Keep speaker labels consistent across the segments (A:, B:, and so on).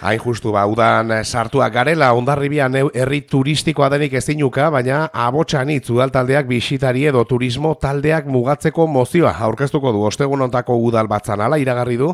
A: Hain justu udan sartuak garela, Hondarribian herri turistikoa denik ezinuka, baina Abotxanitz udaltaldeak bisitari edo turismo taldeak mugatzeko mozioa aurkeztuko du. Ostegun hontako udal batzan ala iragarri du,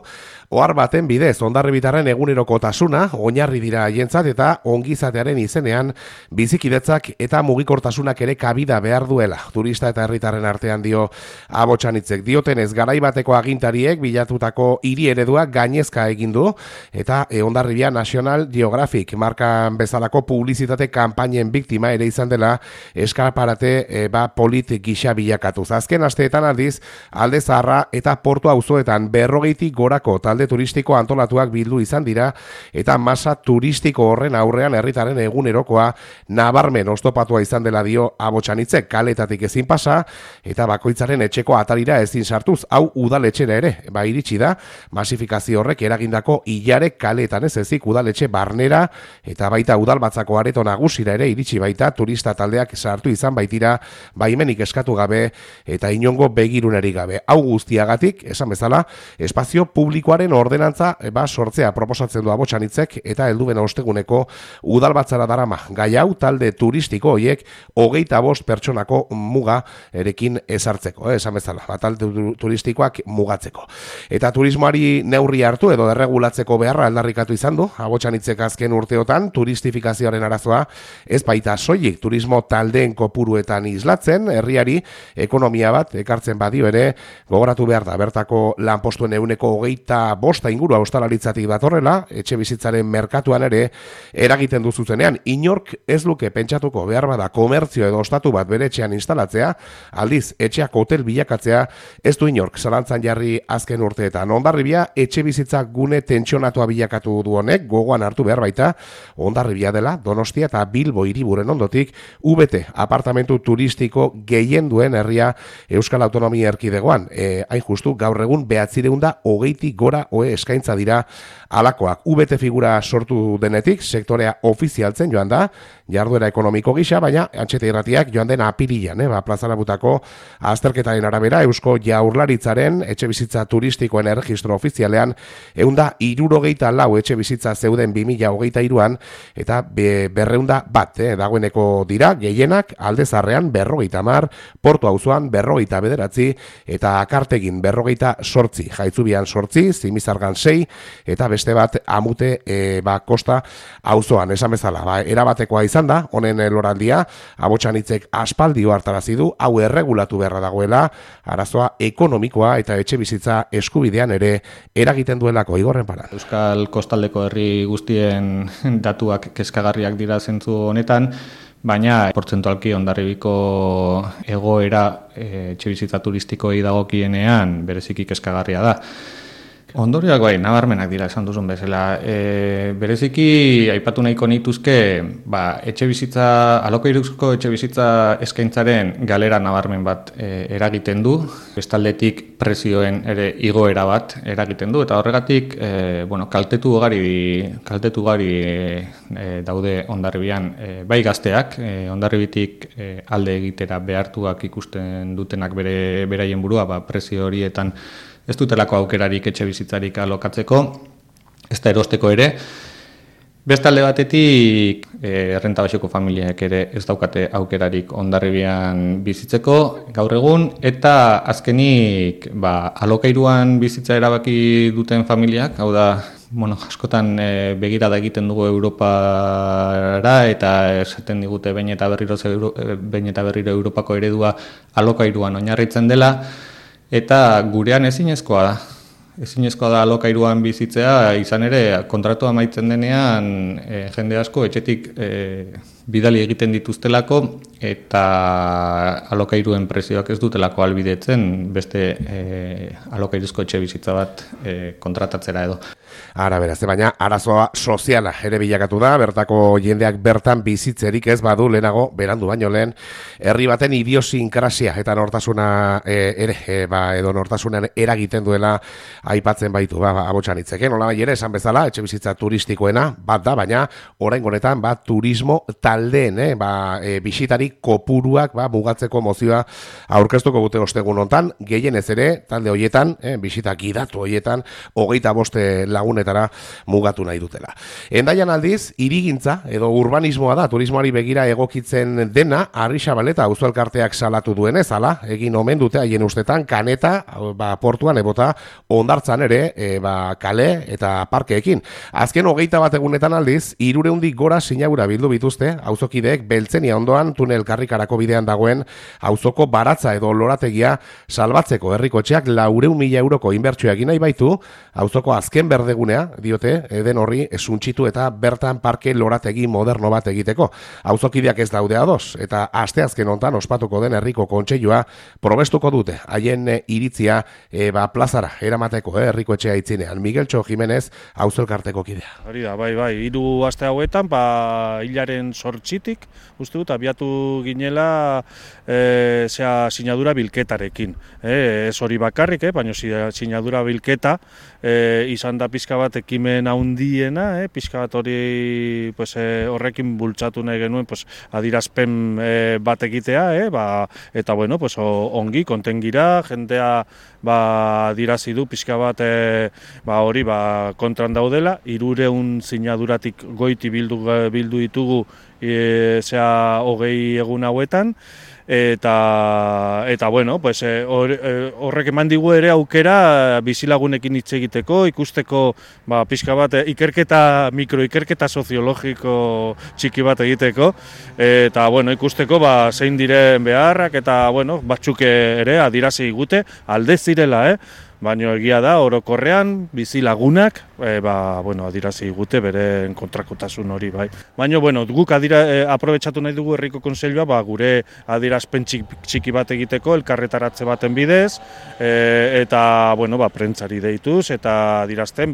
A: ohar baten bidez Hondarribitarren egunerokotasuna oinarri dira haientzat eta ongizatearen izenean bizikidetzak eta mugikortasunak ere kabida behar duela. Turista eta herritarren artean dio Abotxanitzek. Diotenez garaibateko agintariek bilatutako hiri ereduak gainezka egin du eta Hondarribian National Geographic markan bezalako publizitate kanpainen biktima ere izan dela eskaparate politik gisa bilakatuz. Azken asteetan aldiz, Alde Zaharra eta Portu auzoetan 40 gorako talde turistiko antolatuak bildu izan dira eta masa turistiko horren aurrean herritaren egunerokoa nabarmen oztopatua izan dela dio Abotxanitzek. Kaletatik ezin pasa eta bakoitzaren etxeko atarira ezin sartuz, hau udaletxera ere iritsi da, masifikazio horrek eragindako ilarek kaleetan ez ezik udaletxe barnera eta baita udalbatzako areto nagusira ere iritsi baita turista taldeak sartu izan baitira baimenik eskatu gabe eta inongo begirunerik gabe. Hau guztiagatik, esan bezala, espazio publikoaren ordenantza sortzea proposatzen du Abotxanitzek eta helduen osteguneko udalbatzara darama. Gai hau talde turistiko horiek 25 pertsonako muga erekin ezartzeko, esan bezala, talde turistikoak mugatzeko. Eta turismoari neurri hartu edo derregulatzeko beharra aldarrikatu izan du Abotxanitzek azken urteotan turistifikazioaren arazoa ez baita soilik turismo taldeen kopuruetan islatzen, herriari ekonomia bat ekartzen badio ere gogoratu behar da. Bertako lanpostuen 25% ingurua ostalaritzatik datorrela, etxe bizitzaren merkatuan ere eragiten du zuzenean. Inork ez luke pentsatuko behar bada komertzio edo ostatu bat bere etxean instalatzea, aldiz etxeak hotel bilakatzea ez du inork zalantzan jarri azken urteetan. Hondarribia etxe bizitza gune tentsionatua bilakatu du honek, gogoan hartu behar baita, Hondarribia dela Donostia eta Bilbo hiriburen ondotik UBT apartamentu turistiko gehien duen herria Euskal Autonomia Erkidegoan. Hain justu gaur egun 920 gora ohe eskaintza dira alakoak. UBT figura sortu denetik sektorea ofizialtzen joan da, jarduera ekonomiko gisa, baina Antxete Irratiak joan den apirilan, plazarabutako azterketaren arabera Eusko Jaurlaritzaren etxe bizitza turistikoen erregistro ofizialean 164 etxe bizitza zeuden 2023an eta 201 dagoeneko dira, gehienak Alde Zaharrean 50, Portu auzoan 59 eta Akartegin 58, Jaitzubian 8, Zimizargan 6 eta beste bat Amute Kosta auzoan. Esan bezala, erabatekoa izan da, honen loraldia, Abotxanitzek aspaldi hartarazi du, hau erregulatu beharra dagoela, arazoa ekonomikoa eta etxe bizitza eskubidean ere eragiten duelako. Igorren para.
B: Euskal kostaldeko herri guztien datuak kezkagarriak dira zentzu honetan, baina portzentualki Hondarribiko egoera etxebizitza turistikoei dagokienean bereziki kezkagarria da. Ondorioak nabarmenak dira esan duzun bezala. Bereziki aipatu nahiko nituzke, alokairuzko etxebizitza eskaintzaren galera nabarmen bat eragiten du, bestaldetik prezioen ere igoera bat eragiten du, eta horregatik kaltetu ugari daude Hondarribian, bai gazteak, Hondarribitik alde egitera behartuak ikusten dutenak beraien burua, prezio horietan ez dutelako aukerarik etxe bizitzarik alokatzeko, ez da erosteko ere. Beste alde batetik, errenta baxeko familiak ere ez daukate aukerarik Hondarribian bizitzeko gaur egun, eta azkenik alokairuan bizitza erabaki duten familiak, hau da, askotan begirada egiten dugu Europara eta esaten digute behin eta berriro Europako eredua alokairuan oinarritzen dela, eta gurean ezinezkoa da alokairuan bizitzea, izan ere kontratua amaitzen denean jende asko etxetik bidali egiten dituztelako eta alokairuen prezioak ez dutelako ahalbidetzen beste alokairuzko etxe bizitza bat kontratatzera edo.
A: Ara beraz, baina arazoa soziala ere bilakatu da, bertako jendeak bertan bizitzerik ez badu lehenago, berandu baino lehen, herri baten idiosinkrasia eta nortasuna edo nortasunean eragiten duela aipatzen baitu, Abotxanitzek. Nola bai ere, esan bezala, etxe bizitza turistikoena bat da, baina oraingo honetan turismo talde taldeen bisitari kopuruak mugatzeko mozioa aurkeztuko dute ostegun hontan, gehienez ere talde hoietan, bisita gidatu hoietan 25 lagunetara mugatu nahi dutela. Hendaian aldiz, hirigintza edo urbanismoa da turismoari begira egokitzen dena, Arrixabaleta auzo elkarteak salatu duenez, hala, egin omen dute haien ustetan kaneta, portuan ebota hondartzan ere, kale eta parkeekin. Azken 21 egunetan aldiz, 300 gora sinadura bildu bituzte, auzokideek Beltzenia ondoan tunel karrikarako bidean dagoen auzoko baratza edo lorategia salbatzeko herrikotxeak 400.000 euroko inbertsioa egin nahi baitu, auzoko azken berdegunea, diote, den horri suntxitu eta bertan parke lorategi moderno bat egiteko. Auzokideak ez daude ados, eta asteazken hontan ospatuko den herriko kontseilua probestuko dute, haien iritzia plazara eramateko herriko etxea itzinean. Migueltxo Jimenez, auzo elkarteko kidea.
C: Hori da, bai, 3 aste hauetan, hilaren 8tik, uste dut, abiatu ginela sinadura bilketarekin. Ez hori bakarrik, baina sinadura bilketa izan da pixka bat ekimen handiena, pixka bat hori horrekin bultzatu nahi genuen adirazpen bat egitea, eta bueno, ongi, kontengira, jendea adirazi du pixka bat hori kontran daudela, 300 sinaduratik goiti bildu ditugu 20 egun hauetan, eta bueno, horrek eman digu ere aukera bizilagunekin hitz egiteko, ikusteko pixka bat mikroikerketa soziologiko txiki bat egiteko, eta bueno, ikusteko zein diren beharrak, eta bueno, batzuk ere adirazi gute alde zirela, baina egia da, orokorrean, bizilagunak, adirazi gute beren kontrakotasun hori, bai. Baina, guk aprobetxatu nahi dugu herriko konseilua, gure adirazpen txiki bat egiteko, elkarretaratze baten bidez, eta, prentzari deituz, eta adirazten,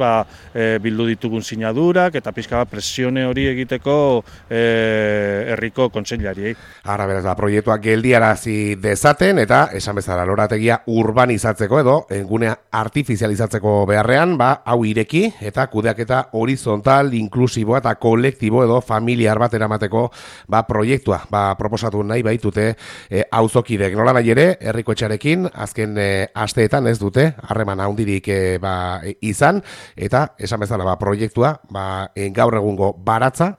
C: bildu ditugun sinadurak, eta pixka bat presione hori egiteko herriko kontseilariei.
A: Ara, beraz, proiektuak geldiarazi dezaten, eta, esan bezala, lorategia urbanizatzeko edo, engunea artifizializatzeko beharrean, hau ireki eta kudeaketa horizontal, inklusiboa eta kolektibo edo familiar bat eramateko proiektua proposatu nahi baitute auzokidek. Nola nahi ere, herriko etxarekin azken asteetan ez dute harreman handirik izan, eta esan bezala proiektua gaur egungo baratza,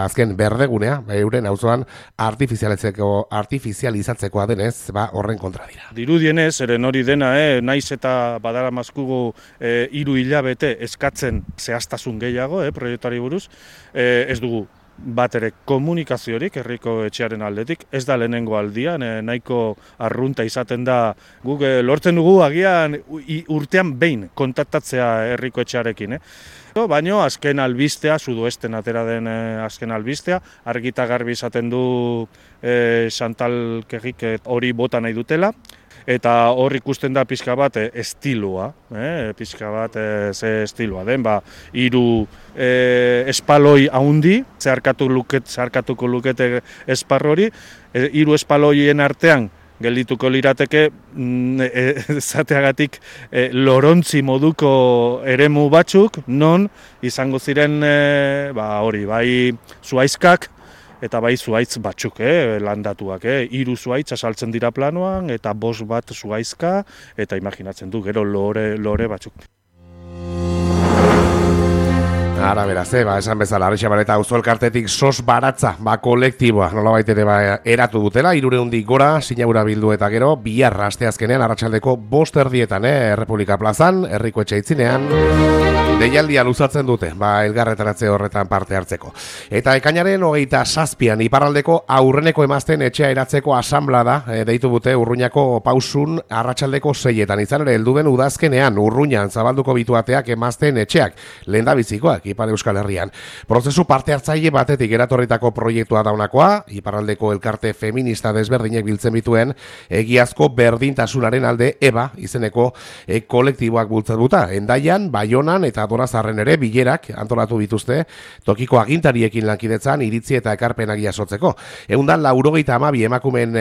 A: azken berdegunea, euren auzoan artifizializatzekoa denez, horren kontra dira.
C: Dirudienez, eren hori dena, naiz eta badara mazkugu 3 hilabete eskatzen zehaztasun gehiago, proiektuari buruz, ez dugu bat ere komunikaziorik herriko etxearen aldetik, ez da lehenengo aldian, nahiko arrunta izaten da, guk lortzen dugu agian urtean behin kontaktatzea herriko etxearekin. Baina azken albistea, sudoesten atera den azken albistea, argita garbi izaten du Chantal Kegik hori bota nahi dutela, eta hor ikusten da pixka bat estiloa, pixka bat ze estiloa den, 3 espaloi haundi, zeharkatuko lukete esparro hori, 3 espaloien artean geldituko lirateke zateagatik lorontzi moduko eremu batzuk, non izango ziren hori, bai zuaizkak, eta bai zuaitz batzuk, landatuak, 3 zuaitz asaltzen dira planoan, eta 5 bat zuaizka, eta imaginatzen du, gero lore batzuk.
A: Ara, beraz, esan bezala, Arrixabaleta auzo elkartetik sos baratza, kolektiboa, nolabait ere eratu dutela, 300 gora, sinadura bildu eta gero, bihar asteazkenean, arratsaldeko 5:00 Errepublika plazan, herriko etxe itzinean, deialdia luzatzen dute, elgarretaratze horretan parte hartzeko. Eta ekainaren 27an, iparraldeko aurreneko emazten etxea eratzeko asanblada, deitu dute Urruñako pausun arratsaldeko 6etan, izan ere, heldu den udazkenean, Urruñan zabalduko bituateak emazten etxeak, lehendabizikoak, Ipar Euskal Herrian. Prozesu parte hartzaile batetik eratorritako proiektua daunakoa, iparraldeko elkarte feminista desberdinek biltzen bituen, egiazko berdintasunaren alde EBA izeneko kolektiboak bultzatuta. Hendaian, Baionan eta Dorazarren ere bilerak antolatu dituzte, tokiko agintariekin lankidetzan iritzi eta ekarpenak jasotzeko. 192 emakumeen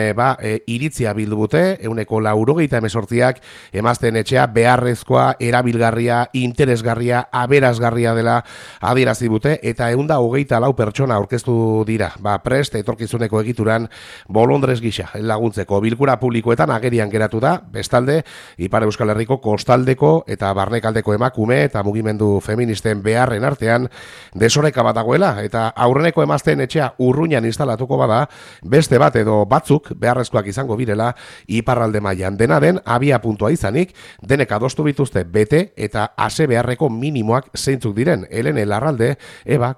A: iritzia bildu dute, 198ak emazten etxea beharrezkoa, erabilgarria, interesgarria, aberasgarria dela adierazi dute eta 124 pertsona aurkeztu dira. Prest etorkizuneko egituran bolondrez gisa laguntzeko bilkura publikoetan agerian geratu da, bestalde Ipar Euskal Herriko kostaldeko eta barnekaldeko emakume eta mugimendu feministen beharren artean desoreka bat dagoela eta aurreneko emazteen etxea Urruñan instalatuko bada, beste bat edo batzuk beharrezkoak izango birela iparralde mailan. Dena den abia puntua izanik, denek adostu bituzte bete eta ase beharreko minimoak zeintzuk diren. Helene Larralde,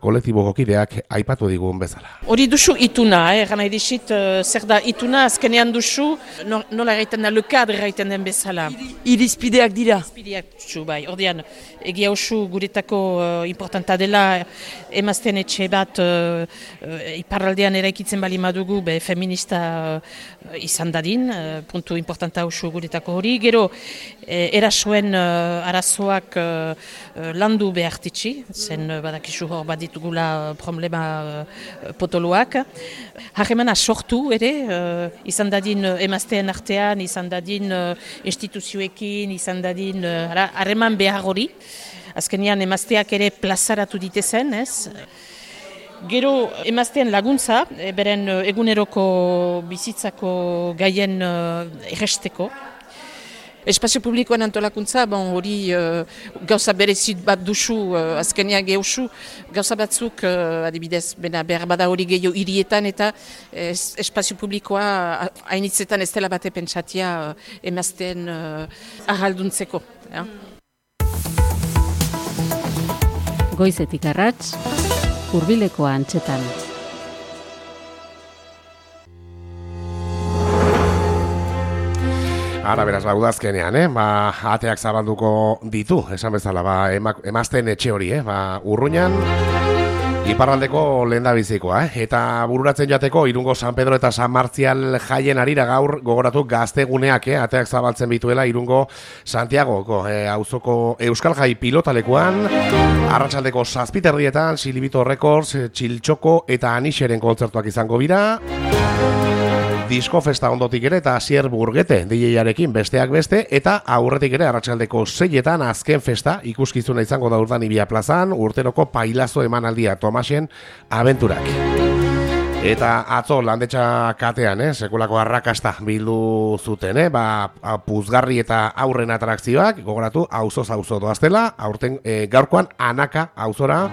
A: kolektiboko kideak aipatu digun bezala.
D: Hori duzu ituna, gana edizit, zer da ituna, azkenean duzu, nola egiten da, lekadre egiten den bezala.
E: Irizpideak dira.
D: Irizpideak duzu, bai. Ordean, egia usu guretako importanta dela, emazten etxe bat iparraldean eraikitzen bali madugu, feminista izan dadin, puntu importanta usu guretako hori. Gero, erasoen arazoak landu behartitzi, zen badakizu hor bat ditugula problema potoloak. Harremana sortu ere, izan dadin emazteen artean, izan dadin instituzioekin, izan dadin harreman behar hori. Azkenean emazteak ere plazaratu ditezen, ez? Gero emazteen laguntza, beren eguneroko bizitzako gaien erresteko. Espazio publikoan antolakuntza, hori gauza berezit bat duzu, azkenean geusu, gauza batzuk, adibidez, behar bada hori gehiago hirietan eta espazio publikoa hainitzetan ez dela bate pentsatia emazteen ahalduntzeko.
F: Goizetik arrats, Hurbileko antxetan.
A: Ara beraz, udazkenean, ateak zabalduko ditu, esan bezala, emazten etxe hori, Urruñan, iparraldeko lehendabizikoa, eta bururatzen jateko Irungo San Pedro eta San Martzial jaien arira gaur gogoratu gazteguneak, ateak zabaltzen bituela Irungo Santiagoko auzoko Euskal Jai pilotalekuan, arratsaldeko 7:00 Silibito Records, Txiltxoko eta Anixeren kontzertuak izango dira. Disko festa ondotik ere eta Asier Burgete DJ-arekin besteak beste eta aurretik ere arratsaldeko 6:00 azken festa ikuskizuna izango da Urdanibia plazan, urteroko pailazo emanaldia Tomasen abenturak. Eta atzo landetxa katean, sekulako arrakasta bildu zuten, puzgarri eta aurren atrakzioak, gogoratu, auzoz auzo doaztela, aurten gaurkoan Anaka auzora,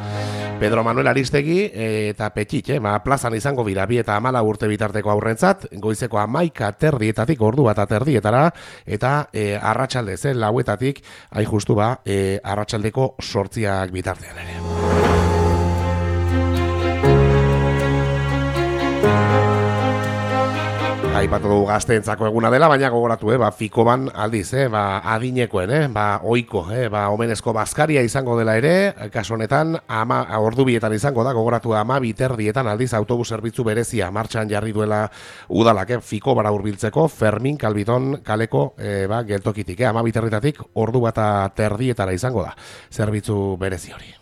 A: Pedro Manuel Aristegi eta Petxit, plazan izango bira, 2 eta 14 urte bitarteko aurrentzat, goizeko 11:30 ordu bat aterdietara, eta arratsaldez, lauetatik, hain justu arratsaldeko 8 bitartean ere. Aipatu dugu gazteentzako eguna dela, baina gogoratu, Fikoban aldiz, adinekoen, oiko, omenezko bazkaria izango dela ere, kasu honetan, ordu 2:00 izango da, gogoratu 12:30 aldiz autobus zerbitzu berezia martxan jarri duela udalak, Fikobara hurbiltzeko, Fermin Kalbiton kaleko geltokitik, 12:30 ordu 1:30 izango da, zerbitzu berezi hori.